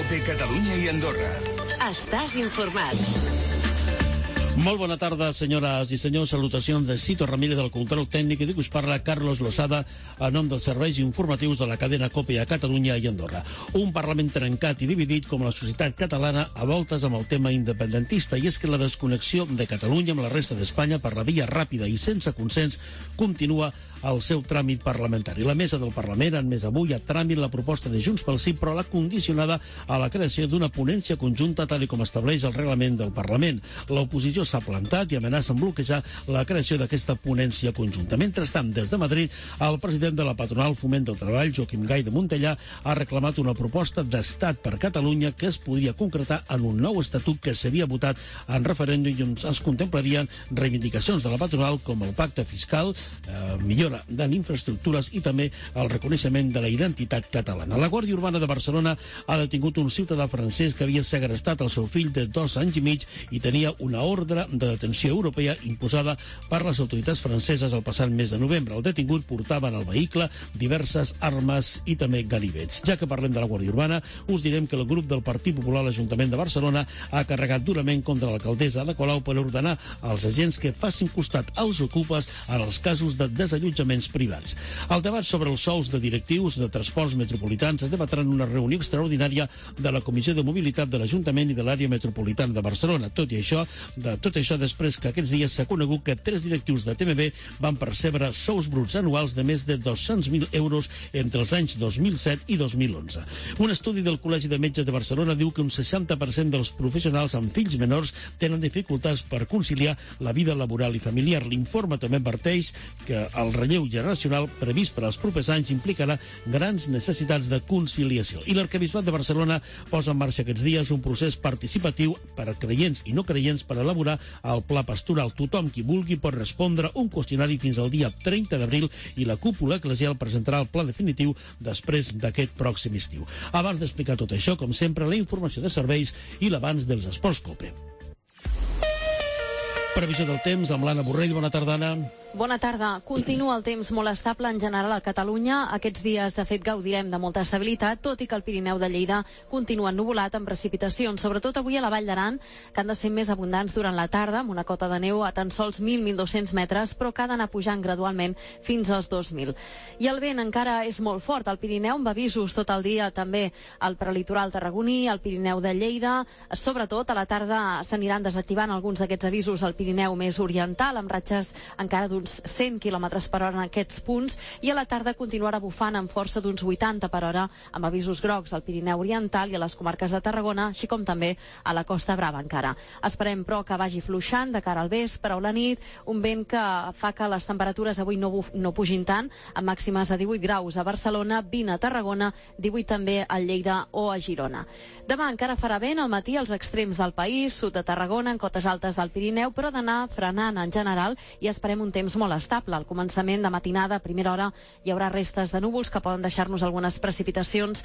COPE Catalunya i Andorra. Estàs informat. Molt bona tarda, senyores i senyors. Salutacions de Cito Ramírez, del control tècnic, i de us parla Carlos Losada, a nom dels serveis informatius de la cadena COPE a Catalunya i Andorra. Un Parlament trencat i dividit com la societat catalana, a voltes amb el tema independentista, i és que la desconnexió de Catalunya amb la resta d'Espanya per la via ràpida i sense consens continua el seu tràmit parlamentari. La mesa del Parlament ha admès avui a tràmit la proposta de Junts pel Sí, però l'ha condicionada a la creació d'una ponència conjunta tal com estableix el reglament del Parlament. L'oposició s'ha plantat i amenaça amb bloquejar la creació d'aquesta ponència conjunta. Mentrestant, des de Madrid, el president de la patronal Foment del Treball, Joaquim Gay de Montellà, ha reclamat una proposta d'estat per Catalunya que es podria concretar en un nou estatut que s'havia votat en referèndum i on es contemplarien reivindicacions de la patronal com el pacte fiscal, millora en infraestructures i també el reconeixement de la identitat catalana. La Guàrdia Urbana de Barcelona ha detingut un ciutadà francès que havia segrestat el seu fill de 2 anys i mig i tenia una ordre de detenció europea imposada per les autoritats franceses el passat mes de novembre. El detingut portava en el vehicle diverses armes i també ganivets. Ja que parlem de la Guàrdia Urbana, us direm que el grup del Partit Popular a l'Ajuntament de Barcelona ha carregat durament contra l'alcaldessa Ada Colau per ordenar als agents que facin costat als ocupes en els casos de desallotjaments privats. El debat sobre els sous de directius de transports metropolitans es debatrà en una reunió extraordinària de la Comissió de Mobilitat de l'Ajuntament i de l'àrea metropolitana de Barcelona. Tot això després que aquests dies s'ha conegut que 3 directius de TMB van percebre sous bruts anuals de més de 200.000 euros entre els anys 2007 i 2011. Un estudi del Col·legi de Metges de Barcelona diu que un 60% dels professionals amb fills menors tenen dificultats per conciliar la vida laboral i familiar. L'informe també adverteix que el relleu generacional previst per als propers anys implicarà grans necessitats de conciliació. I l'Arquebisbat de Barcelona posa en marxa aquests dies un procés participatiu per a creients i no creients per elaborar el pla pastoral. Tothom qui vulgui pot respondre un qüestionari fins al dia 30 d'abril i la cúpula eclesial presentarà el pla definitiu després d'aquest pròxim estiu. Abans d'explicar tot això, com sempre, la informació de serveis i l'abans dels esports COPE. Previsió del temps amb l'Anna Borrell. Bona tarda, Anna. Bona tarda. Continua el temps molt estable en general a Catalunya. Aquests dies, de fet, gaudirem de molta estabilitat, tot i que el Pirineu de Lleida continua ennuvolat amb precipitacions, sobretot avui a la Vall d'Aran, que han de ser més abundants durant la tarda, amb una cota de neu a tan sols 1.000-1.200 metres, però que ha d'anar pujant gradualment fins als 2.000. I el vent encara és molt fort al Pirineu, amb avisos tot el dia també al prelitoral tarragoní, al Pirineu de Lleida. Sobretot a la tarda s'aniran desactivant alguns d'aquests avisos al Pirineu més oriental, amb ratxes encara d'uns 100 km per hora en aquests punts, i a la tarda continuarà bufant amb força d'uns 80 per hora, amb avisos grocs al Pirineu Oriental i a les comarques de Tarragona, així com també a la Costa Brava encara. Esperem, però, que vagi fluixant de cara al vespre o la nit, un vent que fa que les temperatures avui no pugin tant, amb màximes de 18 graus a Barcelona, 20 a Tarragona, 18 també a Lleida o a Girona. Demà encara farà vent al matí als extrems del país, sud de Tarragona, en cotes altes del Pirineu, però d'anar frenant en general i esperem un temps molt estable. Al començament de matinada, a primera hora, hi haurà restes de núvols que poden deixar-nos algunes precipitacions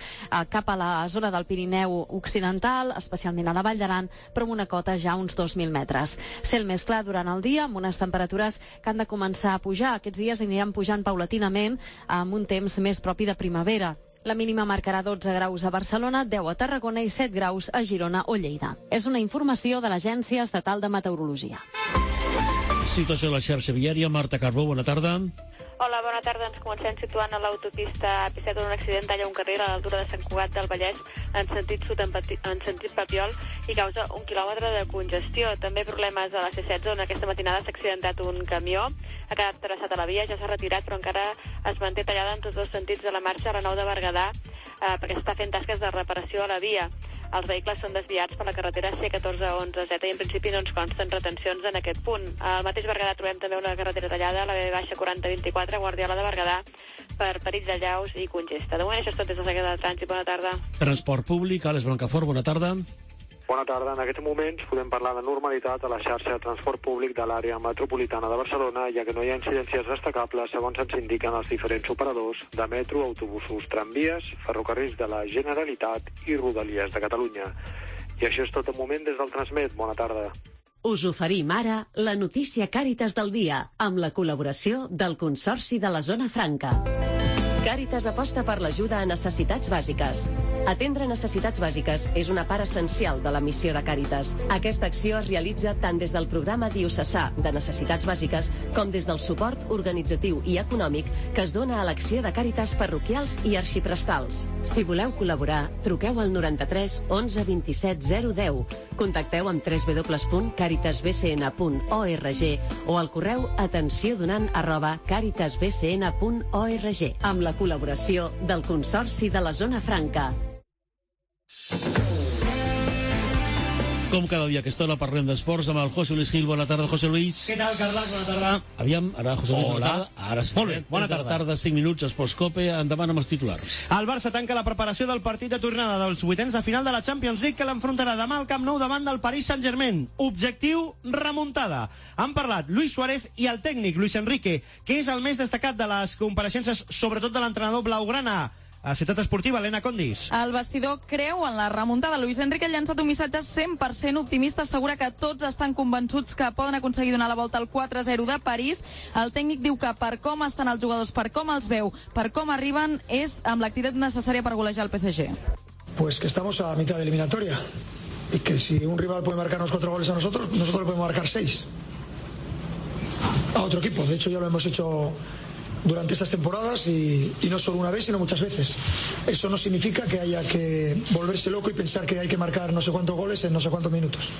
cap a la zona del Pirineu occidental, especialment a la Vall d'Aran, però amb una cota ja uns 2.000 metres. Cel més clar durant el dia, amb unes temperatures que han de començar a pujar. Aquests dies aniran pujant paulatinament amb un temps més propi de primavera. La mínima marcarà 12 graus a Barcelona, 10 a Tarragona i 7 graus a Girona o Lleida. És una informació de l'Agència Estatal de Meteorologia. Situació a la xarxa viària. Marta Carbó, bona tarda. Hola, bona tarda. Ens comencem situant a l'autopista AP7 on un accident talla un carril a l'altura de Sant Cugat del Vallès en sentit sud en sentit Papiol i causa 1 quilòmetre de congestió. També problemes a la C16 on aquesta matinada s'ha accidentat un camió. Ha quedat traçat a la via, ja s'ha retirat, però encara es manté tallada en tots dos sentits de la marxa a la 9 de Berguedà perquè s'està fent tasques de reparació a la via. Els vehicles són desviats per la carretera C1411Z i en principi no ens consten retencions en aquest punt. Al mateix Berguedà trobem també una carretera tallada, la B-4024, Guardiola de Berguedà, per perills de llaus i congesta. De moment això és tot des de la Secretaria de Trànsit. Bona tarda. Transport públic, Àlex Blancafort, bona tarda. Bona tarda. En aquests moments podem parlar de normalitat a la xarxa de transport públic de l'àrea metropolitana de Barcelona, ja que no hi ha incidències destacables segons ens indiquen els diferents operadors de metro, autobusos, tramvies, ferrocarrils de la Generalitat i Rodalies de Catalunya. I això és tot de moment des del Transmet. Bona tarda. Us oferim ara la notícia Càritas del dia, amb la col·laboració del Consorci de la Zona Franca. Càritas aposta per l'ajuda a necessitats bàsiques. Atendre necessitats bàsiques és una part essencial de la missió de Càritas. Aquesta acció es realitza tant des del programa diocesà de necessitats bàsiques com des del suport organitzatiu i econòmic que es dona a l'acció de Càritas parroquials i arxiprestals. Si voleu col·laborar, truqueu al 93 11 27 010. Contacteu amb www.caritasbcn.org o al correu atenciódonant@caritasbcn.org amb la col·laboració del Consorci de la Zona Franca. Com cada dia a aquesta hora parlem d'esports amb el José Luis Gil. Bona tarda, José Luis. Què tal, Carles? Bona tarda. Aviam, ara, José Luis, Hola. bona tarda. Ara sí. Molt bé, bona tarda. De la tarda, 5 minuts, Esports Cope, endavant amb els titulars. El Barça tanca la preparació del partit de tornada dels vuitens de final de la Champions League que l'enfrontarà demà al Camp Nou davant del Paris Saint-Germain. Objectiu, remuntada. Han parlat Luis Suárez i el tècnic Luis Enrique, que és el més destacat de les compareixences, sobretot de l'entrenador blaugrana. A Ciutat Esportiva, Helena Condis. El vestidor creu en la remuntada. Luis Enrique ha llançat un missatge 100% optimista, assegura que tots estan convençuts que poden aconseguir donar la volta al 4-0 de París. El tècnic diu que per com estan els jugadors, per com els veu, per com arriben, és amb l'activitat necessària per golejar el PSG. Pues que estamos a mitad de eliminatoria y que si un rival puede marcarnos 4 goles a nosotros le podemos marcar 6 a otro equipo. De hecho ya lo hemos hecho durante estas temporadas y no solo una vez, sino muchas veces. Eso no significa que haya que volverse loco y pensar que hay que marcar no sé cuántos goles en no sé cuántos minutos.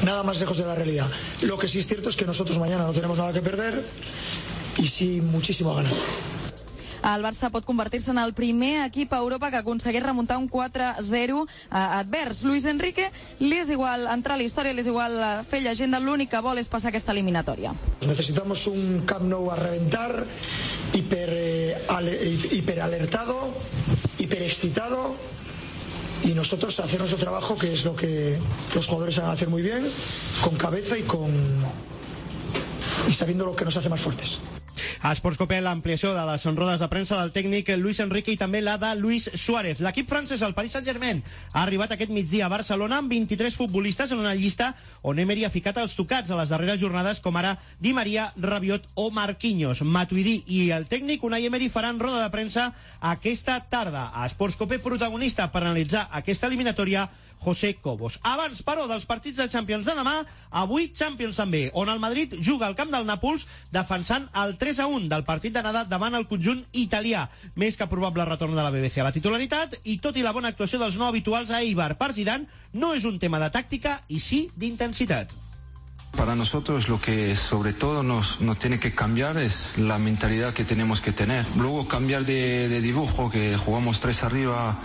Nada más lejos de la realidad. Lo que sí es cierto es que nosotros mañana no tenemos nada que perder y sí muchísimo a ganar. El Barça pot convertir-se en el primer equip a Europa que aconsegueix remuntar un 4-0 advers. Luis Enrique li és igual entrar a la història, li és igual fer llegenda, l'únic que vol és passar aquesta eliminatòria. Necesitamos un Camp Nou a reventar, hiperalertado, hiperexcitado, y nosotros hacer nuestro trabajo, que es lo que los jugadores saben hacer muy bien, con cabeza y sabiendo lo que nos hace más fuertes. A Esports Cope, l'ampliació de les rodes de premsa del tècnic Luis Enrique i també la de Luis Suárez. L'equip francès, el Paris Saint-Germain, ha arribat aquest migdia a Barcelona amb 23 futbolistes en una llista on Emery ha ficat els tocats a les darreres jornades, com ara Di Maria, Rabiot o Marquinhos. Matuidi i el tècnic Unai Emery faran roda de premsa aquesta tarda. A Esports Cope, protagonista per analitzar aquesta eliminatòria, José Cobos. Abans, però, dels partits de Champions de demà, avui Champions també, on el Madrid juga al camp del Nàpols defensant el 3-1 del partit d'anada davant el conjunt italià. Més que probable retorn de la BBC a la titularitat i tot i la bona actuació dels no habituals a Eibar per Zidane, no és un tema de tàctica i sí d'intensitat. Para nosotros lo que sobre todo nos tiene que cambiar es la mentalidad que tenemos que tener. Luego cambiar de dibujo, que jugamos 3 arriba,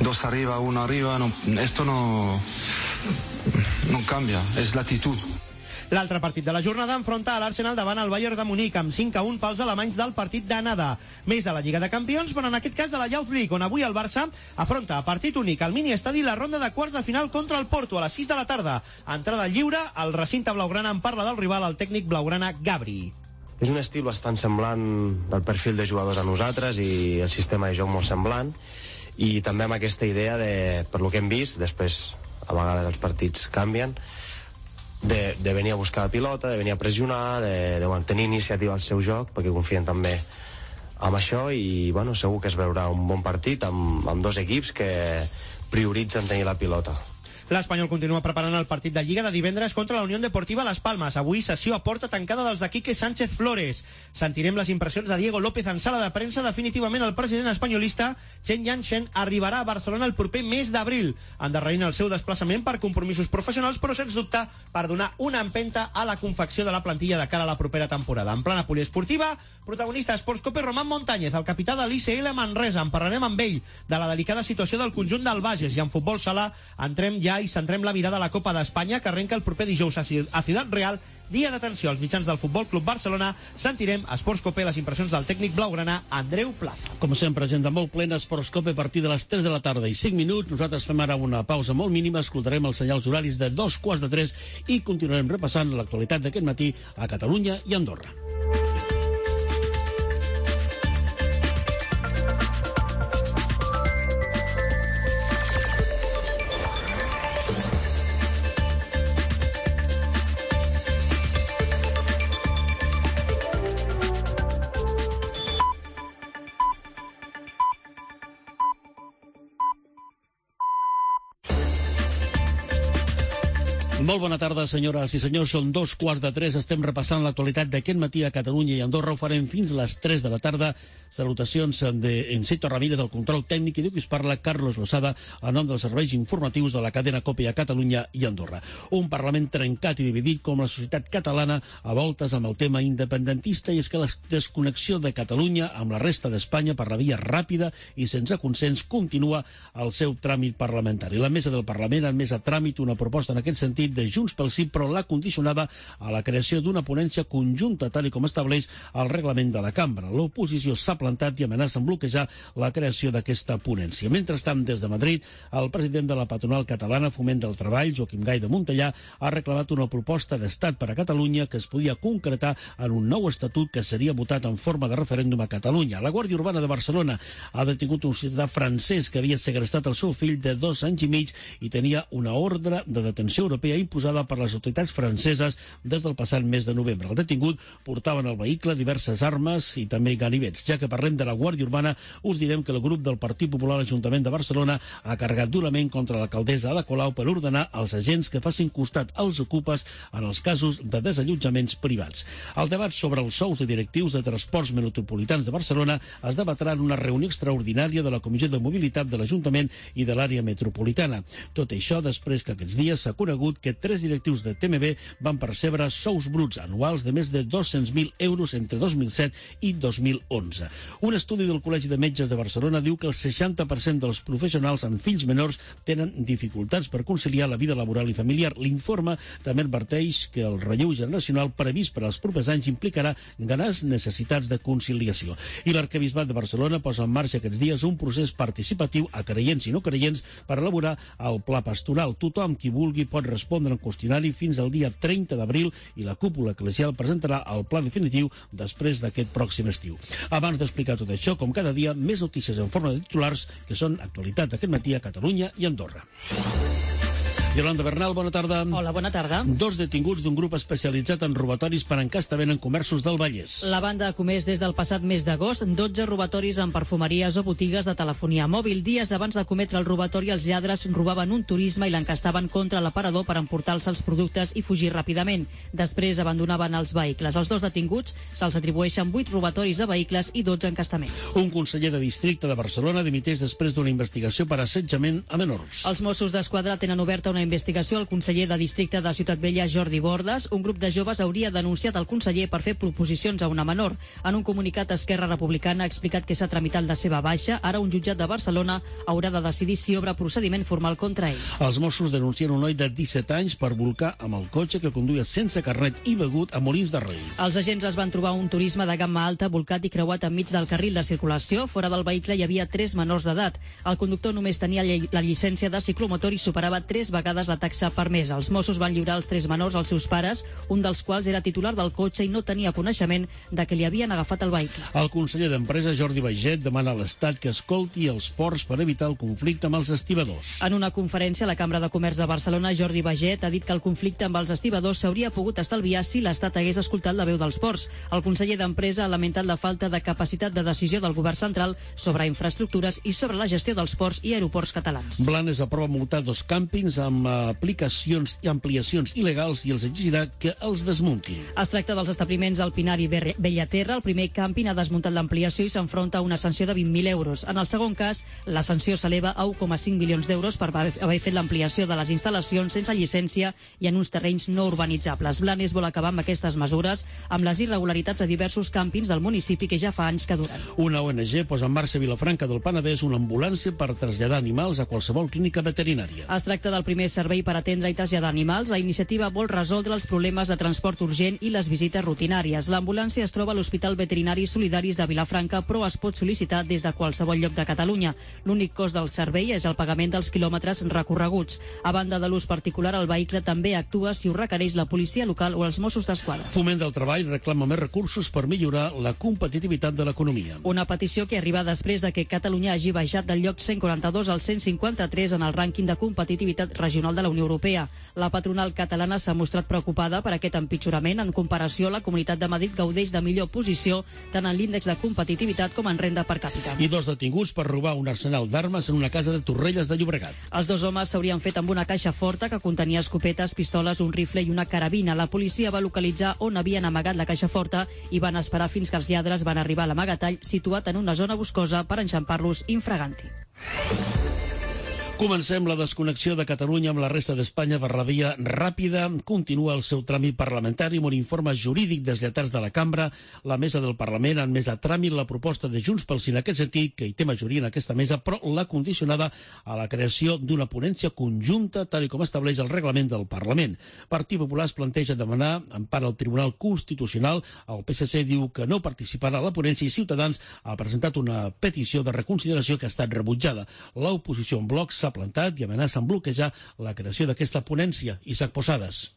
2 arriba, 1 arriba, esto no cambia, es la actitud. L'altre partit de la jornada enfronta a l'Arsenal davant el Bayern de Munic amb 5-1 pels alemanys del partit d'anada. Més de la Lliga de Campions, però en aquest cas de la Youth League, on avui el Barça afronta a partit únic al mini-estadi la ronda de quarts de final contra el Porto a les 6 de la tarda. Entrada lliure, al recinte blaugrana en parla del rival el tècnic blaugrana Gabri. És un estil bastant semblant del perfil de jugadors a nosaltres i el sistema de joc molt semblant, i també amb aquesta idea de, per lo que hem vist, després a vegades els partits canvien, de venir a buscar la pilota, de venir a pressionar, de mantenir iniciativa al seu joc, perquè confien també amb això, i bueno, segur que es veurà un bon partit amb dos equips que prioritzen tenir la pilota. L'Espanyol continua preparant el partit de Lliga de divendres contra la Unión Deportiva Las Palmas. Avui sessió a porta tancada dels de Quique Sánchez Flores. Sentirem les impressions de Diego López en sala de premsa. Definitivament el president espanyolista Chen Yanchen arribarà a Barcelona el proper mes d'abril, endarrerint el seu desplaçament per compromisos professionals, però sens dubte per donar una empenta a la confecció de la plantilla de cara a la propera temporada. En plana poliesportiva, protagonista Esports Cope Román Montañez, el capità de l'ICL Manresa. En parlarem amb ell de la delicada situació del conjunt del Bages, i en futbol sala entrem ja i centrem la mirada a la Copa d'Espanya, que arrenca el proper dijous a Ciutat Real, dia d'atenció als mitjans del Futbol Club Barcelona. Sentirem a Esports Cope les impressions del tècnic blaugrana Andreu Plaza. Com sempre, agenda molt plena, Esports Cope a partir de les 3 de la tarda i 5 minuts. Nosaltres fem ara una pausa molt mínima, escoltarem els senyals horaris de 2:15 i continuarem repassant l'actualitat d'aquest matí a Catalunya i Andorra. Molt bona tarda, senyores i senyors. Són 2:15. Estem repassant l'actualitat d'aquest matí a Catalunya i Andorra. Ho farem fins a les 3 de la tarda. Salutacions en Cito Ramírez del control tècnic i diu que us parla Carlos Losada a nom dels serveis informatius de la cadena COPE a Catalunya i Andorra. Un Parlament trencat i dividit com la societat catalana a voltes amb el tema independentista, i és que la desconnexió de Catalunya amb la resta d'Espanya per la via ràpida i sense consens continua el seu tràmit parlamentari. La mesa del Parlament ha admès a tràmit una proposta en aquest sentit de Junts pel Sí, però l'ha condicionada a la creació d'una ponència conjunta, tal com estableix el reglament de la cambra. L'oposició s'ha plantat i amenaça amb bloquejar la creació d'aquesta ponència. Mentrestant, des de Madrid, el president de la patronal catalana Foment del Treball, Joaquim Gay de Montellà, ha reclamat una proposta d'estat per a Catalunya que es podia concretar en un nou estatut que seria votat en forma de referèndum a Catalunya. La Guàrdia Urbana de Barcelona ha detingut un ciutadà francès que havia segrestat el seu fill de 2 anys i mig i tenia una ordre de detenció europea imposada per les autoritats franceses des del passat mes de novembre. El detingut portava en el vehicle diverses armes i també ganivets. Ja que parlem de la Guàrdia Urbana, us direm que el grup del Partit Popular a l'Ajuntament de Barcelona ha carregat durament contra l'alcaldessa Ada Colau per ordenar als agents que facin costat als ocupes en els casos de desallotjaments privats. El debat sobre els sous de directius de transports metropolitans de Barcelona es debatrà en una reunió extraordinària de la Comissió de Mobilitat de l'Ajuntament i de l'àrea metropolitana. Tot això després que aquests dies s'ha conegut que 3 directius de TMB van percebre sous bruts anuals de més de 200.000 euros entre 2007 i 2011. Un estudi del Col·legi de Metges de Barcelona diu que el 60% dels professionals amb fills menors tenen dificultats per conciliar la vida laboral i familiar. L'informe també adverteix que el relleu generacional previst per als propers anys implicarà grans necessitats de conciliació. I l'Arquebisbat de Barcelona posa en marxa aquests dies un procés participatiu a creients i no creients per elaborar el pla pastoral. Tothom qui vulgui pot respondre al qüestionari fins al dia 30 d'abril i la cúpula eclesial presentarà el pla definitiu després d'aquest pròxim estiu. Abans d'explicar tot això, com cada dia, més notícies en forma de titulars que són actualitat aquest matí a Catalunya i Andorra. Yolanda Bernal, bona tarda. Hola, bona tarda. 2 detinguts d'un grup especialitzat en robatoris per encastament en comerços del Vallès. La banda ha comès des del passat mes d'agost 12 robatoris en perfumeries o botigues de telefonia mòbil. Dies abans de cometre el robatori, els lladres robaven un turisme i l'encastaven contra l'aparador per emportar-se els productes i fugir ràpidament. Després abandonaven els vehicles. Els 2 detinguts se'ls atribueixen 8 robatoris de vehicles i 12 encastaments. Un conseller de districte de Barcelona dimiteix després d'una investigació per assetjament a menors. Els Mossos d'Esquadra tenen oberta una investigació al conseller de districte de Ciutat Vella, Jordi Bordes. Un grup de joves hauria denunciat el conseller per fer proposicions a una menor. En un comunicat, Esquerra Republicana ha explicat que s'ha tramitat la seva baixa. Ara un jutjat de Barcelona haurà de decidir si obre procediment formal contra ell. Els Mossos denuncien un noi de 17 anys per volcar amb el cotxe que conduïa sense carnet i begut a Molins de Rei. Els agents es van trobar un turisme de gamma alta volcat i creuat enmig del carril de circulació. Fora del vehicle hi havia 3 menors d'edat. El conductor només tenia la llicència de ciclomotor i superava 3 vegades la taxa permesa. Els Mossos van lliurar els 3 menors als seus pares, un dels quals era titular del cotxe i no tenia coneixement de que li havien agafat el vehicle. El conseller d'Empresa, Jordi Baiget, demana a l'Estat que escolti els ports per evitar el conflicte amb els estibadors. En una conferència a la Cambra de Comerç de Barcelona, Jordi Baiget ha dit que el conflicte amb els estibadors s'hauria pogut estalviar si l'Estat hagués escoltat la veu dels ports. El conseller d'Empresa ha lamentat la falta de capacitat de decisió del govern central sobre infraestructures i sobre la gestió dels ports i aeroports catalans. Blanes aprova multar 2 càmpings amb aplicacions i ampliacions il·legals i els exigirà que els desmuntin. Es tracta dels establiments al Pinar i Bellaterra. El primer càmping ha desmuntat l'ampliació i s'enfronta a una sanció de 20.000 euros. En el segon cas, la sanció s'eleva a 1,5 milions d'euros per haver fet l'ampliació de les instal·lacions sense llicència i en uns terrenys no urbanitzables. Blanes vol acabar amb aquestes mesures, amb les irregularitats a diversos càmpings del municipi que ja fa anys que duren. Una ONG posa en marxa a Vilafranca del Penedès una ambulància per traslladar animals a qualsevol clínica veterinària. Es tracta del primer servei per atendre i traslladar animals. La iniciativa vol resoldre els problemes de transport urgent i les visites rutinàries. L'ambulància es troba a l'Hospital Veterinari Solidaris de Vilafranca, però es pot sol·licitar des de qualsevol lloc de Catalunya. L'únic cost del servei és el pagament dels quilòmetres recorreguts. A banda de l'ús particular, el vehicle també actua si ho requereix la policia local o els Mossos d'Esquadra. Foment del Treball reclama més recursos per millorar la competitivitat de l'economia. Una petició que arriba després de que Catalunya hagi baixat del lloc 142 al 153 en el rànquing de competitivitat regional regional de la Unió Europea. La patronal catalana s'ha mostrat preocupada per aquest empitjorament. En comparació, la Comunitat de Madrid gaudeix de millor posició tant en l'índex de competitivitat com en renda per càpita. I 2 detinguts per robar un arsenal d'armes en una casa de Torrelles de Llobregat. Els 2 homes s'haurien fet amb una caixa forta que contenia escopetes, pistoles, un rifle i una carabina. La policia va localitzar on havien amagat la caixa forta i van esperar fins que els lladres van arribar a l'amagatall situat en una zona boscosa per enxampar-los infraganti. Comencem la desconnexió de Catalunya amb la resta d'Espanya per la via ràpida. Continua el seu tràmit parlamentari amb un informe jurídic dels lletrats de la cambra. La mesa del Parlament ha admès a tràmit la proposta de Junts pel Sí en aquest sentit, que hi té majoria en aquesta mesa, però l'ha condicionada a la creació d'una ponència conjunta, tal com estableix el reglament del Parlament. Partit Popular es planteja demanar empara al Tribunal Constitucional. El PSC diu que no participarà a la ponència i Ciutadans ha presentat una petició de reconsideració que ha estat rebutjada. L'oposició en bloc s'ha plantat i amenaça amb bloquejar la creació d'aquesta ponència. Isaac Posades.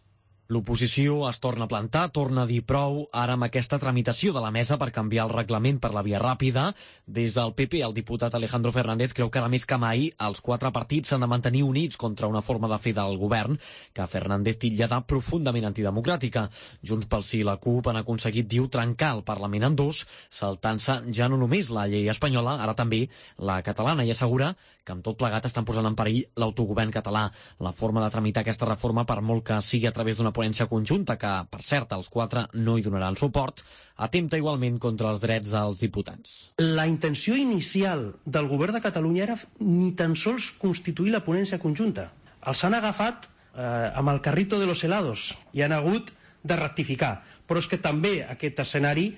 L'oposició es torna a plantar, torna a dir prou, ara amb aquesta tramitació de la mesa per canviar el reglament per la via ràpida. Des del PP, el diputat Alejandro Fernández creu que ara més que mai els 4 partits s'han de mantenir units contra una forma de fer del govern que Fernández titlla de profundament antidemocràtica. Junts pel Sí i la CUP han aconseguit, diu, trencar el Parlament en 2, saltant-se ja no només la llei espanyola, ara també la catalana, i assegura que amb tot plegat estan posant en perill l'autogovern català. La forma de tramitar aquesta reforma, per molt que sigui a través d'una ponència conjunta, que, per cert, els 4 no hi donaran suport, atempta igualment contra els drets dels diputats. La intenció inicial del govern de Catalunya era ni tan sols constituir la ponència conjunta. Els han agafat amb el carrito de los helados i han hagut de rectificar. Però és que també aquest escenari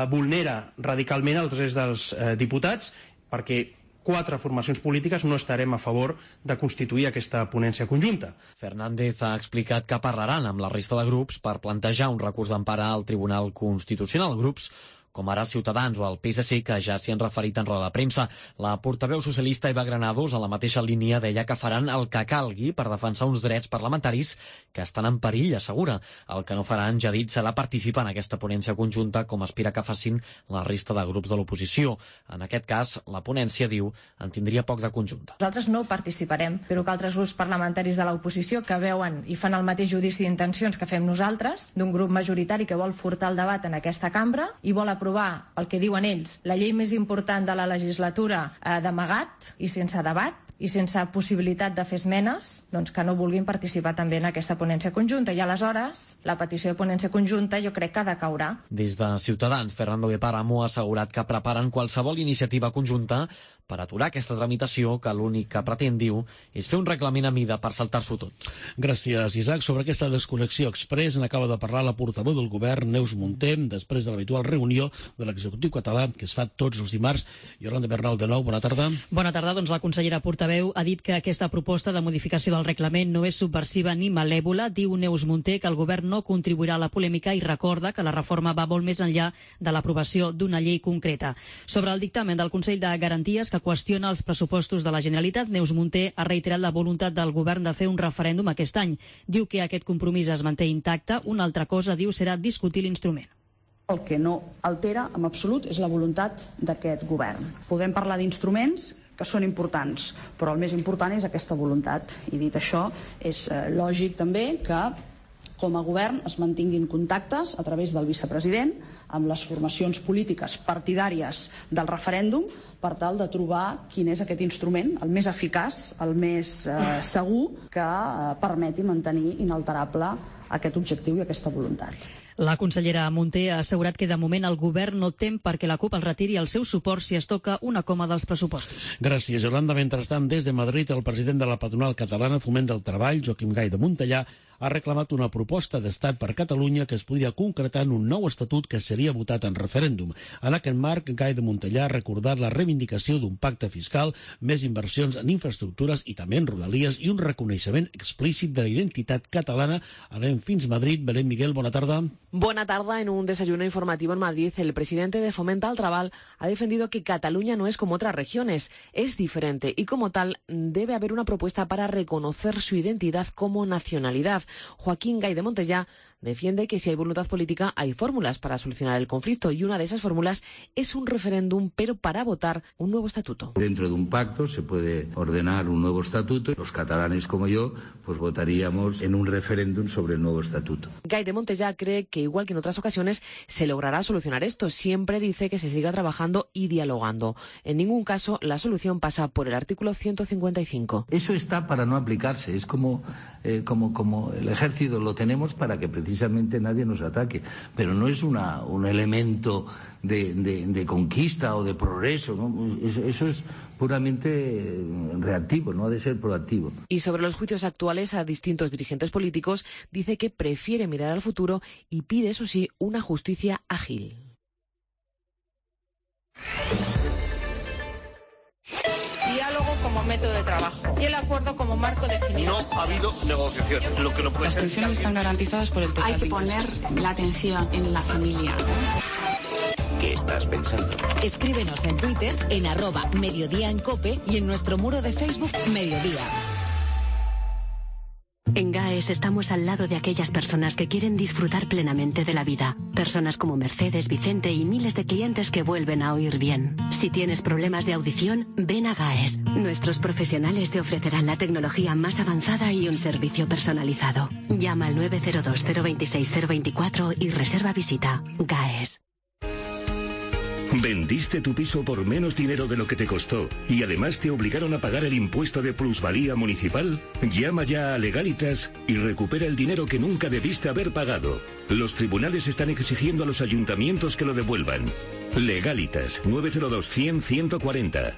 vulnera radicalment els drets dels diputats, perquè 4 formacions polítiques no estarem a favor de constituir aquesta ponència conjunta. Fernández ha explicat que parlaran amb la resta de grups per plantejar un recurs d'empara al Tribunal Constitucional. Grups com ara Ciutadans o el PSC, que ja s'hi han referit en roda de premsa. La portaveu socialista Eva Granados, a la mateixa línia, deia que faran el que calgui per defensar uns drets parlamentaris que estan en perill, assegura. El que no faran, ja dit, serà participar en aquesta ponència conjunta, com aspira que facin la resta de grups de l'oposició. En aquest cas, la ponència, diu, en tindria poc de conjunta. Nosaltres no participarem, però que altres grups parlamentaris de l'oposició que veuen i fan el mateix judici d'intencions que fem nosaltres, d'un grup majoritari que vol furtar el debat en aquesta cambra i vol aprovar el que diuen ells, la llei més important de la legislatura d'amagat i sense debat i sense possibilitat de fer esmenes, doncs que no vulguin participar també en aquesta ponència conjunta. I aleshores, la petició de ponència conjunta jo crec que ha de caure. Des de Ciutadans, Fernando de Páramo ha assegurat que preparen qualsevol iniciativa conjunta per aturar aquesta tramitació, que l'únic que pretén, diu, és fer un reglament a mida per saltar-s'ho tot. Gràcies, Isaac. Sobre aquesta desconnexió express n'acaba de parlar la portaveu del govern, Neus Munté, després de l'habitual reunió de l'executiu català, que es fa tots els dimarts. Yolanda Bernal, de nou, bona tarda. Bona tarda. Doncs la consellera portaveu ha dit que aquesta proposta de modificació del reglament no és subversiva ni malèvola. Diu Neus Munté que el govern no contribuirà a la polèmica i recorda que la reforma va molt més enllà de l'aprovació d'una llei concreta. Sobre el dictamen del Consell de Garanties, que qüestiona els pressupostos de la Generalitat, Neus Munté ha reiterat la voluntat del govern de fer un referèndum aquest any. Diu que aquest compromís es manté intacte. Una altra cosa, diu, serà discutir l'instrument. El que no altera en absolut és la voluntat d'aquest govern. Podem parlar d'instruments que són importants, però el més important és aquesta voluntat. I dit això, és lògic també que com a govern es mantinguin contactes a través del vicepresident amb les formacions polítiques partidàries del referèndum per tal de trobar quin és aquest instrument, el més eficaç, el més segur, que permeti mantenir inalterable aquest objectiu i aquesta voluntat. La consellera Munté ha assegurat que de moment el govern no tem perquè la CUP el retiri el seu suport si es toca una coma dels pressupostos. Gràcies, Yolanda. Mentrestant, des de Madrid, el president de la patronal catalana Foment del Treball, Joaquim Gay de Montellà, ha reclamat una proposta d'estat per Catalunya que es podria concretar en un nou estatut que seria votat en referèndum. En aquest marc, Gay de Montellà ha recordat la reivindicació d'un pacte fiscal, més inversions en infraestructures i també en rodalies i un reconeixement explícit de la identitat catalana. Anem fins a Madrid. Belén Miguel, bona tarda. Buena tarde. En un desayuno informativo en Madrid, el presidente de Fomenta al Trabal ha defendido que Cataluña no es como otras regiones, es diferente y como tal debe haber una propuesta para reconocer su identidad como nacionalidad. Joaquín Gay de Montellà defiende que si hay voluntad política hay fórmulas para solucionar el conflicto y una de esas fórmulas es un referéndum, pero para votar un nuevo estatuto. Dentro de un pacto se puede ordenar un nuevo estatuto. Los catalanes como yo pues votaríamos en un referéndum sobre el nuevo estatuto. Gai de Montellà cree que igual que en otras ocasiones se logrará solucionar esto. Siempre dice que se siga trabajando y dialogando. En ningún caso la solución pasa por el artículo 155. Eso está para no aplicarse. Es como el ejército lo tenemos para que precisamente nadie nos ataque. Pero no es un elemento de conquista o de progreso, ¿no? Eso es puramente reactivo, no ha de ser proactivo. Y sobre los juicios actuales a distintos dirigentes políticos, dice que prefiere mirar al futuro y pide, eso sí, una justicia ágil. Diálogo como método de trabajo y el acuerdo como marco definido. No ha habido negociación. Lo que no puede Las ser. pensiones están garantizadas por el total. Hay que poner la atención en la familia. ¿Qué estás pensando? Escríbenos en Twitter en @Mediodía en COPE y en nuestro muro de Facebook Mediodía. En GAES estamos al lado de aquellas personas que quieren disfrutar plenamente de la vida. Personas como Mercedes, Vicente y miles de clientes que vuelven a oír bien. Si tienes problemas de audición, ven a GAES. Nuestros profesionales te ofrecerán la tecnología más avanzada y un servicio personalizado. Llama al 902 026 024 y reserva visita. GAES. ¿Vendiste tu piso por menos dinero de lo que te costó y además te obligaron a pagar el impuesto de plusvalía municipal? Llama ya a Legalitas y recupera el dinero que nunca debiste haber pagado. Los tribunales están exigiendo a los ayuntamientos que lo devuelvan. Legalitas, 902 100 140.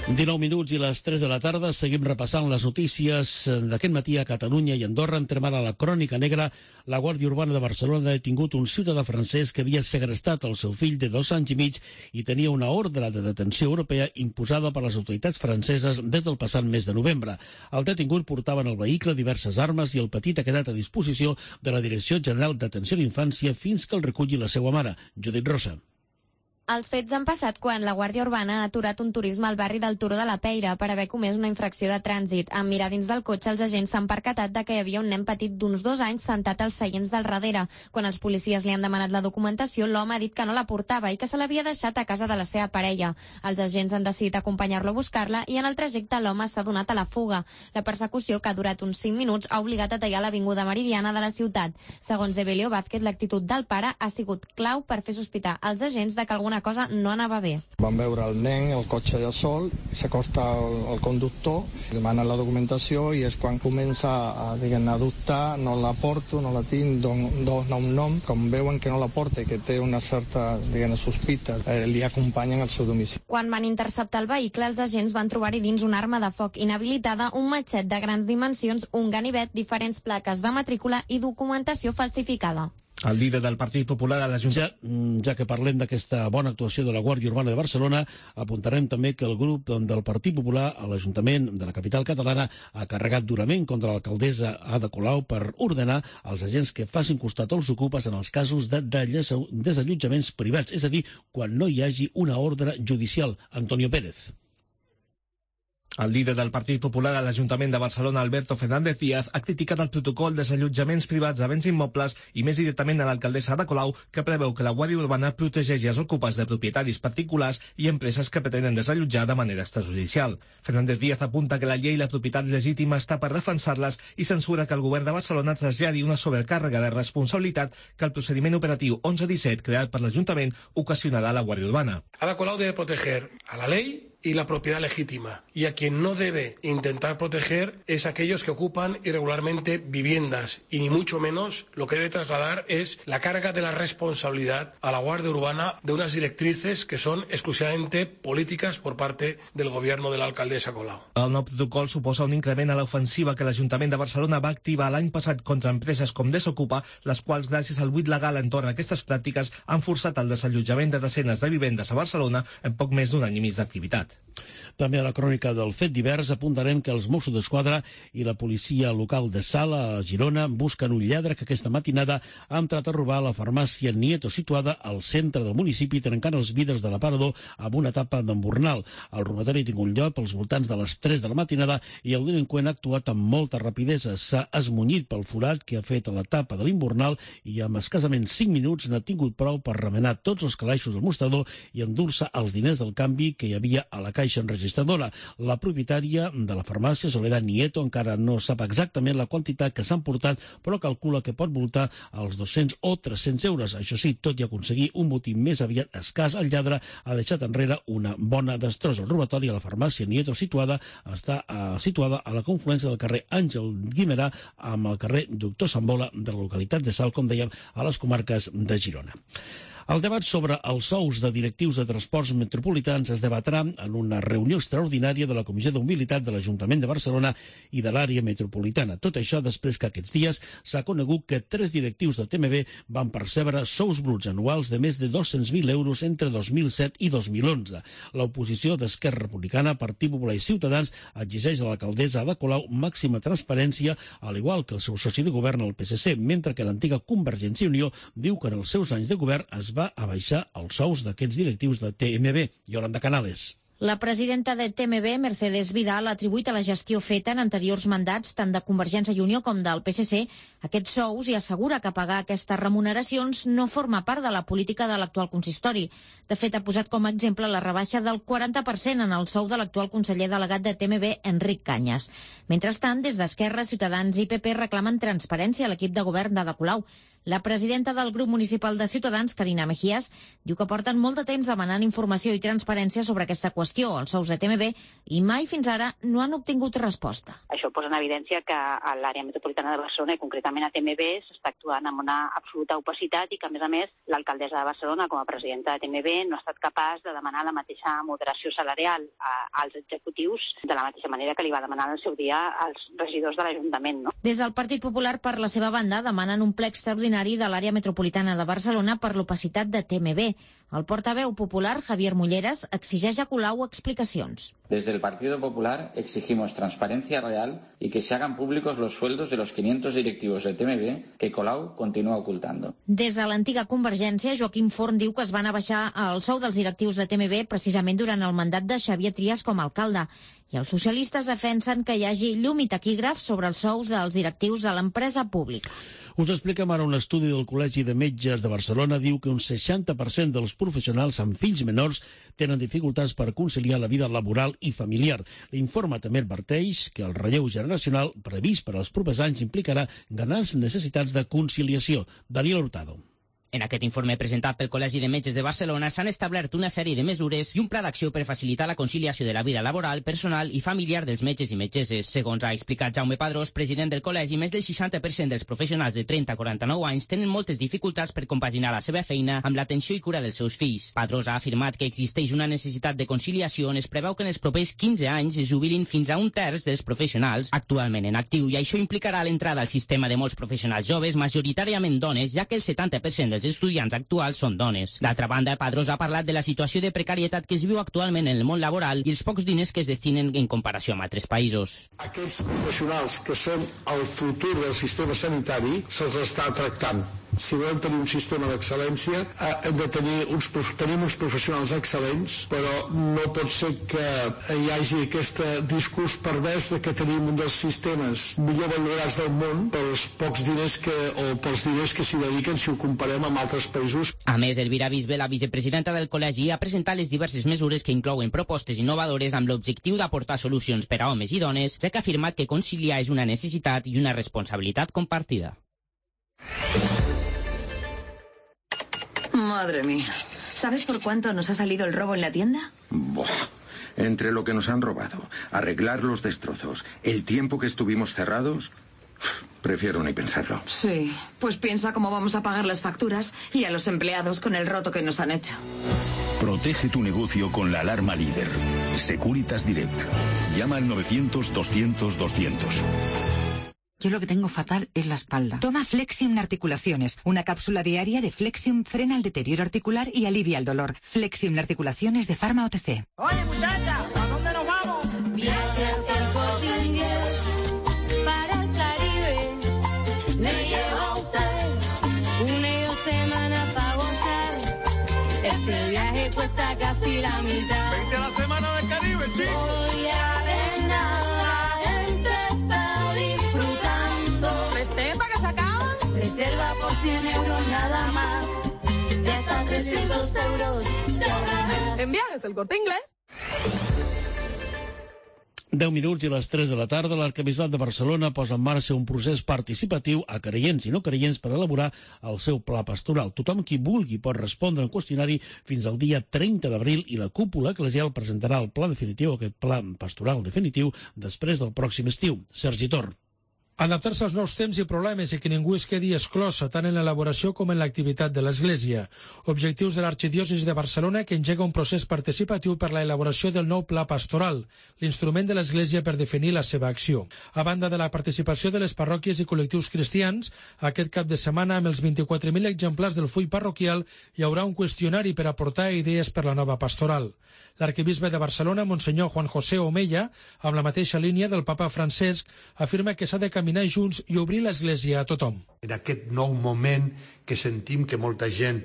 19 minuts i les 3 de la tarda. Seguim repassant les notícies d'aquest matí a Catalunya i Andorra. Entrem ara a la crònica negra. La Guàrdia Urbana de Barcelona ha detingut un ciutadà francès que havia segrestat el seu fill de 2 anys i mig i tenia una ordre de detenció europea imposada per les autoritats franceses des del passat mes de novembre. El detingut portava en el vehicle diverses armes i el petit ha quedat a disposició de la Direcció General d'Atenció a l'Infància fins que el reculli la seva mare, Judit Rosa. Els fets han passat quan la Guàrdia Urbana ha aturat un turisme al barri del Turó de la Peira per haver comès una infracció de trànsit. En mirar dins del cotxe, els agents s'han percatat de que hi havia un nen petit d'uns 2 anys sentat als seients del darrere. Quan els policies li han demanat la documentació, l'home ha dit que no la portava i que se l'havia deixat a casa de la seva parella. Els agents han decidit acompanyar-lo a buscar-la i en el trajecte l'home s'ha donat a la fuga. La persecució, que ha durat uns 5 minuts, ha obligat a tallar l'avinguda Meridiana de la ciutat. Segons Evelio Vázquez, l'actitud del pare ha sigut clau per fer sospitar als agents de que alguna cosa no anava bé. Vam veure el nen, el cotxe allà sol, s'acosta al conductor, demana la documentació i és quan comença a dubtar, no la porto, no la tinc, dona un nom, com veuen que no la porta i que té una certa sospita, li acompanyen al seu domicili. Quan van interceptar el vehicle, els agents van trobar-hi dins una arma de foc inhabilitada, un matxet de grans dimensions, un ganivet, diferents plaques de matrícula i documentació falsificada. El líder del Partit Popular a l'Ajuntament. Ja que parlem d'aquesta bona actuació de la Guàrdia Urbana de Barcelona, apuntarem també que el grup del Partit Popular a l'Ajuntament de la capital catalana ha carregat durament contra l'alcaldessa Ada Colau per ordenar als agents que facin costat als ocupes en els casos de desallotjaments privats, és a dir, quan no hi hagi una ordre judicial. Antonio Pérez. El líder del Partit Popular a l'Ajuntament de Barcelona, Alberto Fernández Díaz, ha criticat el protocol de desallotjaments privats de béns immobles i més directament a l'alcaldessa Ada Colau, que preveu que la Guàrdia Urbana protegeixi els ocupes de propietaris particulars i empreses que pretenen desallotjar de manera extrajudicial. Fernández Díaz apunta que la llei i la propietat legítima està per defensar-les i censura que el govern de Barcelona traslladi una sobrecàrrega de responsabilitat que el procediment operatiu 1117 creat per l'Ajuntament ocasionarà a la Guàrdia Urbana. Ada Colau debe proteger a la ley y la propiedad legítima. Y a quien no debe intentar proteger es a aquellos que ocupan irregularmente viviendas. Y ni mucho menos lo que debe trasladar es la carga de la responsabilidad a la Guardia Urbana de unas directrices que son exclusivamente políticas por parte del gobierno de la alcaldesa Colau. El nou protocol suposa un increment a l'ofensiva que l'Ajuntament de Barcelona va activar l'any passat contra empreses com Desocupa, les quals, gràcies al buit legal entorn a aquestes pràctiques, han forçat el desallotjament de desenes de vivendes a Barcelona en poc més d'un any i mig d'activitat. També a la crònica del fet divers apuntarem que els Mossos d'Esquadra i la policia local de Sala, a Girona, busquen un lladre que aquesta matinada ha entrat a robar la farmàcia Nieto, situada al centre del municipi, trencant els vidres de l'aparador amb una tapa d'embornal. El robatori ha tingut lloc als voltants de les 3 de la matinada i el delinqüent ha actuat amb molta rapidesa. S'ha esmunyit pel forat que ha fet a la tapa de l'embornal i amb escassament 5 minuts n'ha tingut prou per remenar tots els calaixos del mostrador i endur-se els diners del canvi que hi havia a la caixa enregistradora. La propietària de la farmàcia, Soledad Nieto, encara no sap exactament la quantitat que s'han portat, però calcula que pot voltar als 200 o 300 euros. Això sí, tot i aconseguir un botí més aviat escàs, el lladre ha deixat enrere una bona destrossa. El robatori a la farmàcia Nieto està situada a la confluència del carrer Àngel Guimerà amb el carrer Doctor Sambola de la localitat de Salt, com dèiem, a les comarques de Girona. El debat sobre els sous de directius de transports metropolitans es debatrà en una reunió extraordinària de la Comissió de Mobilitat de l'Ajuntament de Barcelona i de l'àrea metropolitana. Tot això després que aquests dies s'ha conegut que 3 directius de TMB van percebre sous bruts anuals de més de 200.000 euros entre 2007 i 2011. L'oposició d'Esquerra Republicana, Partit Popular i Ciutadans exigeix a l'alcaldessa Ada Colau màxima transparència, al igual que el seu soci de govern, el PSC, mentre que l'antiga Convergència i Unió diu que en els seus anys de govern es va abaixar els sous d'aquests directius de TMB. Yolanda Canales. La presidenta de TMB, Mercedes Vidal, ha atribuït a la gestió feta en anteriors mandats, tant de Convergència i Unió com del PSC, aquests sous i assegura que pagar aquestes remuneracions no forma part de la política de l'actual consistori. De fet, ha posat com a exemple la rebaixa del 40% en el sou de l'actual conseller delegat de TMB, Enric Cañas. Mentrestant, des d'Esquerra, Ciutadans i PP reclamen transparència a l'equip de govern d'Ada Colau. La presidenta del grup municipal de Ciutadans, Carina Mejías, diu que porten molt de temps demanant informació i transparència sobre aquesta qüestió, els sous de TMB, i mai fins ara no han obtingut resposta. Això posa en evidència que a l'àrea metropolitana de Barcelona, i concretament a TMB, s'està actuant amb una absoluta opacitat i que, a més, l'alcaldessa de Barcelona, com a presidenta de TMB, no ha estat capaç de demanar la mateixa moderació salarial als executius de la mateixa manera que li va demanar en el seu dia als regidors de l'Ajuntament. No? Des del Partit Popular, per la seva banda, demanen un ple extraordinari de l'àrea metropolitana de Barcelona per l'opacitat de TMB. El portaveu popular, Javier Mulleras, exigeix a Colau explicacions. Desde el Partido Popular exigimos transparencia real y que se hagan públicos los sueldos de los 500 directivos de TMB que Colau continúa ocultando. Des de l'antiga Convergència, Joaquim Forn diu que es van abaixar el sou dels directius de TMB precisament durant el mandat de Xavier Trias com a alcalde. I els socialistes defensen que hi hagi llum i taquígrafs sobre els sous dels directius de l'empresa pública. Us expliquem ara un estudi del Col·legi de Metges de Barcelona. Diu que un 60% dels professionals amb fills menors tenen dificultats per conciliar la vida laboral i familiar. L'informe també adverteix que el relleu generacional previst per als propers anys implicarà grans necessitats de conciliació. Daniel Hurtado. En aquest informe presentat pel Col·legi de Metges de Barcelona s'han establert una sèrie de mesures i un pla d'acció per facilitar la conciliació de la vida laboral, personal i familiar dels metges i metgesses. Segons ha explicat Jaume Padrós, president del col·legi, més del 60% dels professionals de 30 a 49 anys tenen moltes dificultats per compaginar la seva feina amb l'atenció i cura dels seus fills. Padrós ha afirmat que existeix una necessitat de conciliació on es preveu que en els propers 15 anys es jubilin fins a un terç dels professionals actualment en actiu, i això implicarà l'entrada al sistema de molts professionals joves, majoritàriament dones, ja que el 70% dels estudiants actuals són dones. D'altra banda, Padrós ha parlat de la situació de precarietat que es viu actualment en el món laboral i els pocs diners que es destinen en comparació amb altres països. Aquests professionals que són el futur del sistema sanitari se'ls està tractant. Si volem tenir un sistema d'excel·lència, hem de tenim uns professionals excel·lents, però no pot ser que hi hagi aquest discurs pervers de que tenim un dels sistemes millor valorats del món pels pocs diners pels diners que s'hi dediquen si ho comparem amb altres països. A més, Elvira Bisbe, la vicepresidenta del col·legi, ha presentat les diverses mesures que inclouen propostes innovadores amb l'objectiu d'aportar solucions per a homes i dones, ja que ha afirmat que conciliar és una necessitat i una responsabilitat compartida. Madre mía. ¿Sabes por cuánto nos ha salido el robo en la tienda? Buah. Entre lo que nos han robado, arreglar los destrozos, el tiempo que estuvimos cerrados, prefiero ni pensarlo. Sí, pues piensa cómo vamos a pagar las facturas y a los empleados con el roto que nos han hecho. Protege tu negocio con la alarma líder. Securitas Direct. Llama al 900 200 200. Yo lo que tengo fatal es la espalda. Toma Flexium Articulaciones. Una cápsula diaria de Flexium frena el deterioro articular y alivia el dolor. Flexium Articulaciones de Pharma OTC. Oye, muchacha, ¿a dónde nos vamos? Viaje hacia el Corte Inglés para el Caribe. Le llevo a usted una semana para gozar. Este viaje cuesta casi la mitad. Vente a la semana del Caribe, chico. Voy a ver nada entre está disfrutando. ¿Reserva que se acaba? Reserva por 100 euros nada más. Y hasta 300 euros te ahorrarás. En Viajes el Corte Inglés. 10 minuts i les 3 de la tarda, l'Arquebisbat de Barcelona posa en marxa un procés participatiu a creients i no creients per elaborar el seu pla pastoral. Tothom qui vulgui pot respondre al qüestionari fins al dia 30 d'abril i la cúpula eclesial presentarà el pla definitiu, aquest pla pastoral definitiu, després del pròxim estiu. Sergi Tor. Adaptar-se als nous temps i problemes i que ningú es quedi exclòs tant en l'elaboració com en l'activitat de l'Església. Objectius de l'Arxidiòcesi de Barcelona que engega un procés participatiu per la elaboració del nou pla pastoral, l'instrument de l'Església per definir la seva acció. A banda de la participació de les parròquies i col·lectius cristians, aquest cap de setmana amb els 24.000 exemplars del full parroquial hi haurà un qüestionari per aportar idees per la nova pastoral. L'arquebisbe de Barcelona, Monsenyor Juan José Omeya, amb la mateixa línia del papa Francesc, afirma que s'ha de caminar junts i obrir l'Església a tothom. En aquest nou moment que sentim que molta gent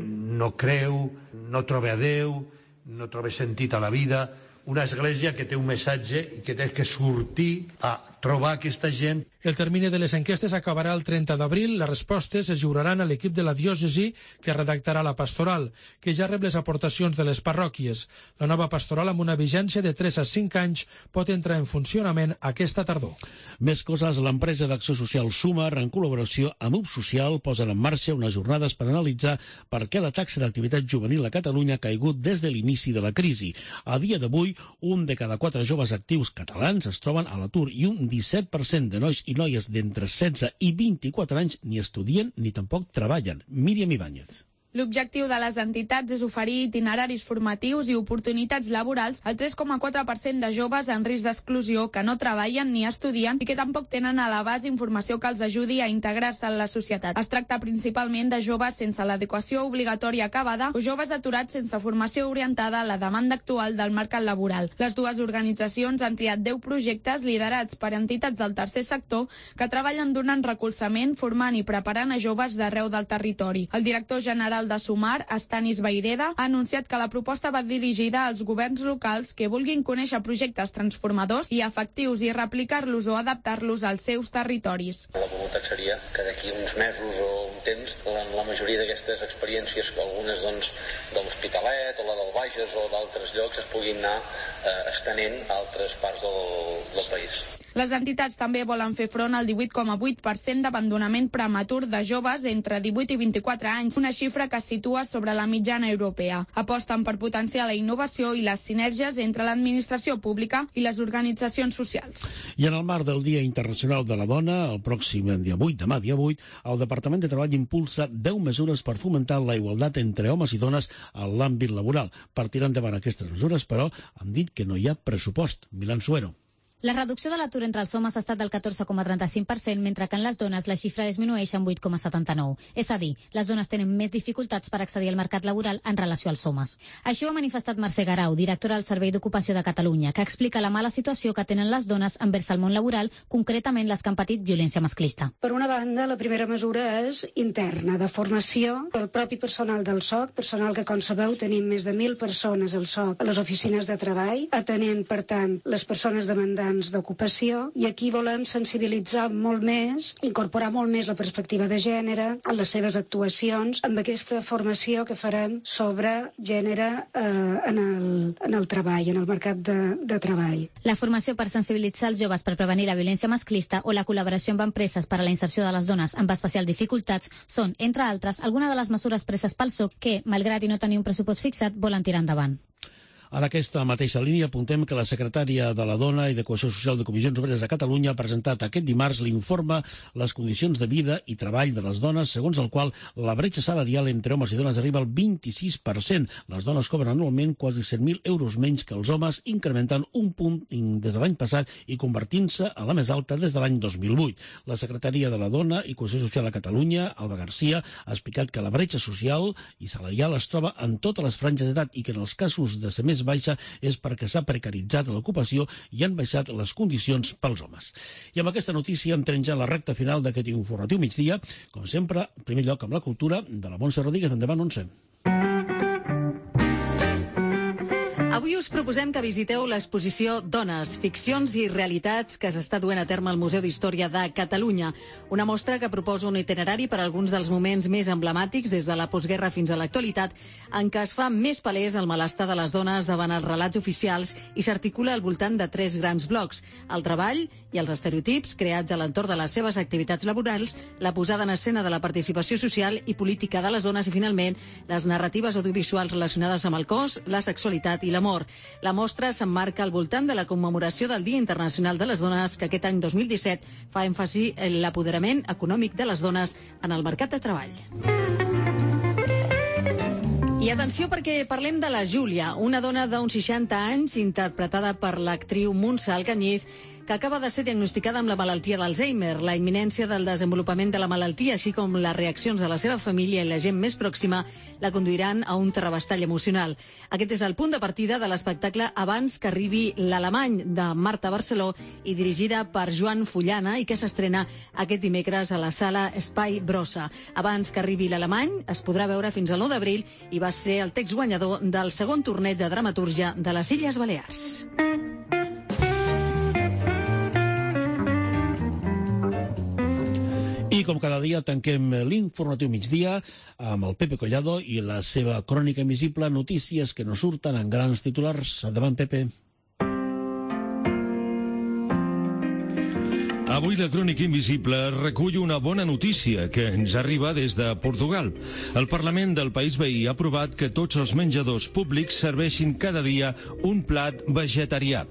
no creu, no troba a Déu, no troba sentit a la vida, una església que té un missatge i que té que sortir a trobar aquesta gent. El termini de les enquestes acabarà el 30 d'abril. Les respostes es lliuraran a l'equip de la diòcesi que redactarà la pastoral, que ja rep les aportacions de les parròquies. La nova pastoral, amb una vigència de 3 a 5 anys, pot entrar en funcionament aquesta tardor. Més coses, l'empresa d'acció social Sumar, en col·laboració amb UP Social, posen en marxa unes jornades per analitzar per què la taxa d'activitat juvenil a Catalunya ha caigut des de l'inici de la crisi. A dia d'avui, un de cada 4 joves actius catalans es troben a l'atur i un 17% de nois i noies d'entre 16 i 24 anys ni estudien ni tampoc treballen. Míriam Ibáñez. L'objectiu de les entitats és oferir itineraris formatius i oportunitats laborals al 3,4% de joves en risc d'exclusió que no treballen ni estudien i que tampoc tenen a l'abast informació que els ajudi a integrar-se en la societat. Es tracta principalment de joves sense l'adequació obligatòria acabada o joves aturats sense formació orientada a la demanda actual del mercat laboral. Les dues organitzacions han triat 10 projectes liderats per entitats del tercer sector que treballen donant recolzament, formant i preparant a joves d'arreu del territori. El director general de Sumar, Stanis Baireda, ha anunciat que la proposta va dirigida als governs locals que vulguin conèixer projectes transformadors i efectius i replicar-los o adaptar-los als seus territoris. La voluntat seria que d'aquí uns mesos o un temps la majoria d'aquestes experiències, algunes de l'Hospitalet o la del Bages o d'altres llocs, es puguin anar estenent a altres parts del país. Les entitats també volen fer front al 18,8% d'abandonament prematur de joves entre 18 i 24 anys, una xifra que es situa sobre la mitjana europea. Aposten per potenciar la innovació i les sinergies entre l'administració pública i les organitzacions socials. I en el marc del Dia Internacional de la Dona, el pròxim dia 8, demà dia 8, el Departament de Treball impulsa 10 mesures per fomentar la igualtat entre homes i dones en l'àmbit laboral. Per tirar endavant aquestes mesures, però, han dit que no hi ha pressupost. Milan Suero. La reducció de l'atur entre els homes ha estat del 14,35%, mentre que en les dones la xifra disminueix en 8,79%. És a dir, les dones tenen més dificultats per accedir al mercat laboral en relació als homes. Així ho ha manifestat Mercè Garau, directora del Servei d'Ocupació de Catalunya, que explica la mala situació que tenen les dones envers el món laboral, concretament les que han patit violència masclista. Per una banda, la primera mesura és interna, de formació del propi personal del SOC, personal que, com sabeu, tenim més de 1.000 persones al SOC a les oficines de treball, atenent, per tant, les persones demandants d'ocupació, i aquí volem sensibilitzar molt més, incorporar molt més la perspectiva de gènere en les seves actuacions, amb aquesta formació que farem sobre gènere en el treball, en el mercat de treball. La formació per sensibilitzar els joves per prevenir la violència masclista o la col·laboració amb empreses per a la inserció de les dones amb especial dificultats són, entre altres, algunes de les mesures preses pel SOC que, malgrat i no tenir un pressupost fixat, volen tirar endavant. En aquesta mateixa línia apuntem que la secretària de la Dona i de Cohesió Social de Comissions Obreres de Catalunya ha presentat aquest dimarts l'informe Les condicions de vida i treball de les dones, segons el qual la bretxa salarial entre homes i dones arriba al 26%. Les dones cobren anualment quasi 100.000 euros menys que els homes, incrementant un punt des de l'any passat i convertint-se a la més alta des de l'any 2008. La secretària de la Dona i Cohesió Social a Catalunya, Alba Garcia, ha explicat que la bretxa social i salarial es troba en totes les franges d'edat i que en els casos de ser més baixa és perquè s'ha precaritzat l'ocupació i han baixat les condicions pels homes. I amb aquesta notícia entrem ja a la recta final d'aquest informatiu migdia, com sempre, en primer lloc amb la cultura de la Montse Rodríguez. Endavant, Montse. Avui us proposem que visiteu l'exposició Dones, ficcions i realitats que s'està duent a terme al Museu d'Història de Catalunya. Una mostra que proposa un itinerari per a alguns dels moments més emblemàtics des de la postguerra fins a l'actualitat, en què es fa més palès el malestar de les dones davant els relats oficials i s'articula al voltant de 3 grans blocs: el treball i els estereotips creats a l'entorn de les seves activitats laborals, la posada en escena de la participació social i política de les dones i, finalment, les narratives audiovisuals relacionades amb el cos, la sexualitat i l'amor. La mostra s'emmarca al voltant de la commemoració del Dia Internacional de les Dones, que aquest any 2017 fa èmfasi en l'apoderament econòmic de les dones en el mercat de treball. I atenció, perquè parlem de la Júlia, una dona d'uns 60 anys interpretada per l'actriu Montse Alcañiz, que acaba de ser diagnosticada amb la malaltia d'Alzheimer. La imminència del desenvolupament de la malaltia, així com les reaccions de la seva família i la gent més pròxima, la conduiran a un terrabastall emocional. Aquest és el punt de partida de l'espectacle Abans que arribi l'alemany, de Marta Barceló, i dirigida per Joan Fullana, i que s'estrena aquest dimecres a la sala Espai Brossa. Abans que arribi l'alemany es podrà veure fins al 9 d'abril i va ser el text guanyador del segon torneig de dramatúrgia de les Illes Balears. I com cada dia tanquem l'informatiu migdia amb el Pepe Collado i la seva crònica invisible, notícies que no surten en grans titulars. Endavant, Pepe. Avui la Crònica Invisible recull una bona notícia que ens arriba des de Portugal. El Parlament del país veí ha aprovat que tots els menjadors públics serveixin cada dia un plat vegetarià.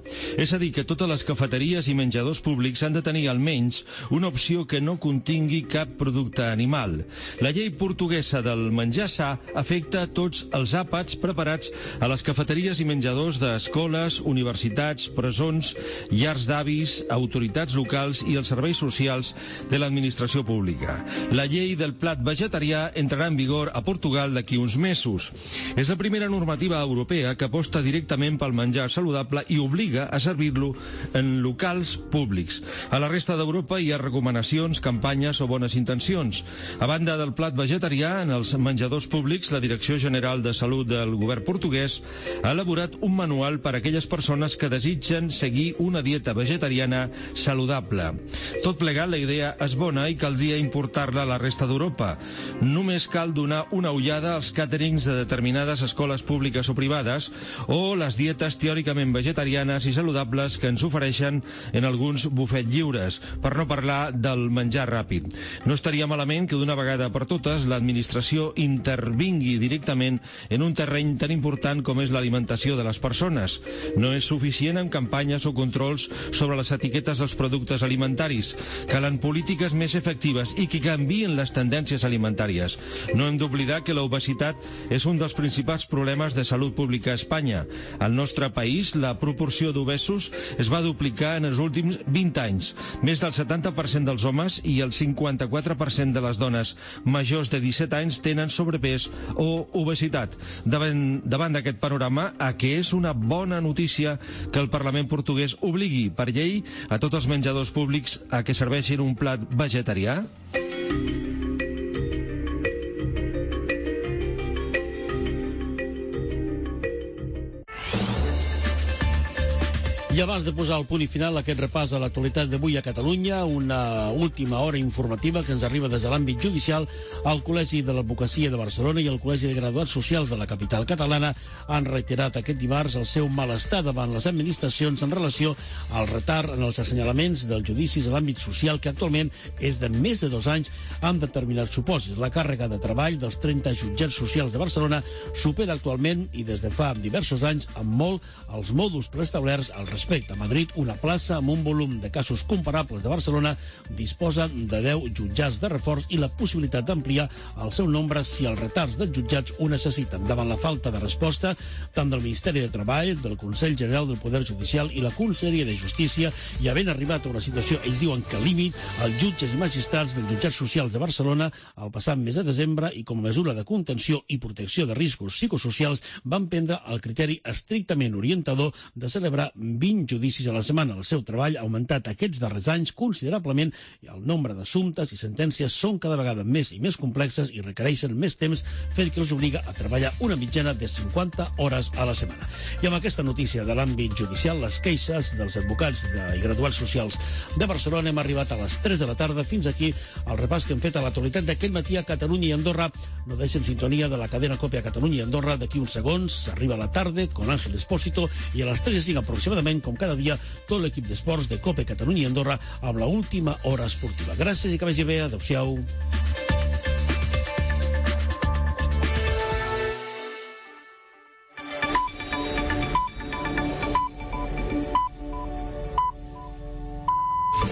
És a dir, que totes les cafeteries i menjadors públics han de tenir almenys una opció que no contingui cap producte animal. La llei portuguesa del menjar sa afecta tots els àpats preparats a les cafeteries i menjadors d'escoles, universitats, presons, llars d'avis, autoritats locals i els serveis socials de l'administració pública. La llei del plat vegetarià entrarà en vigor a Portugal d'aquí uns mesos. És la primera normativa europea que aposta directament pel menjar saludable i obliga a servir-lo en locals públics. A la resta d'Europa hi ha recomanacions, campanyes o bones intencions. A banda del plat vegetarià, en els menjadors públics, la Direcció General de Salut del govern portuguès ha elaborat un manual per a aquelles persones que desitgen seguir una dieta vegetariana saludable. Tot plegat, la idea és bona i caldria importar-la a la resta d'Europa. Només cal donar una ullada als càterings de determinades escoles públiques o privades o les dietes teòricament vegetarianes i saludables que ens ofereixen en alguns bufets lliures, per no parlar del menjar ràpid. No estaria malament que d'una vegada per totes l'administració intervingui directament en un terreny tan important com és l'alimentació de les persones. No és suficient amb campanyes o controls sobre les etiquetes dels productes alimentaris. Calen polítiques més efectives i que canvien les tendències alimentàries. No hem d'oblidar que l'obesitat és un dels principals problemes de salut pública a Espanya. Al nostre país, la proporció d'obesos es va duplicar en els últims 20 anys. Més del 70% dels homes i el 54% de les dones majors de 17 anys tenen sobrepès o obesitat. Davant d'aquest panorama, a què és una bona notícia que el Parlament portuguès obligui per llei a tots els menjadors públics a que serveixin un plat vegetarià? I abans de posar el punt i final aquest repàs a l'actualitat d'avui a Catalunya, una última hora informativa que ens arriba des de l'àmbit judicial. El Col·legi de l'Advocacia de Barcelona i el Col·legi de Graduats Socials de la capital catalana han reiterat aquest dimarts el seu malestar davant les administracions en relació al retard en els assenyalaments dels judicis a l'àmbit social, que actualment és de més de 2 anys amb determinats supòsits. La càrrega de treball dels 30 jutjats socials de Barcelona supera actualment i des de fa diversos anys amb molt els mòduls preestablerts al respecte. A Madrid, una plaça amb un volum de casos comparables de Barcelona disposa de 10 jutjats de reforç i la possibilitat d'ampliar el seu nombre si els retards dels jutjats ho necessiten. Davant la falta de resposta tant del Ministeri de Treball, del Consell General del Poder Judicial i la Conselleria de Justícia, i havent arribat a una situació, ells diuen que límit, els jutges i magistrats dels jutjats socials de Barcelona el passat mes de desembre i com a mesura de contenció i protecció de riscos psicosocials van prendre el criteri estrictament orientador de celebrar 20 judicis a la setmana. El seu treball ha augmentat aquests darrers anys considerablement i el nombre d'assumptes i sentències són cada vegada més i més complexes i requereixen més temps, fet que els obliga a treballar una mitjana de 50 hores a la setmana. I amb aquesta notícia de l'àmbit judicial, les queixes dels advocats i graduats socials de Barcelona, hem arribat a les 3 de la tarda. Fins aquí el repàs que hem fet a l'actualitat d'aquest matí a Catalunya i Andorra. No deixen sintonia de la cadena COPE a Catalunya i Andorra. D'aquí uns segons arriba la tarda con Ángel Espósito i a les 3:05 aproximadament, com cada dia, tot l'equip d'esports de COPE Catalunya i Andorra amb la última hora esportiva. Gràcies i que vagi bé. Adéu-siau.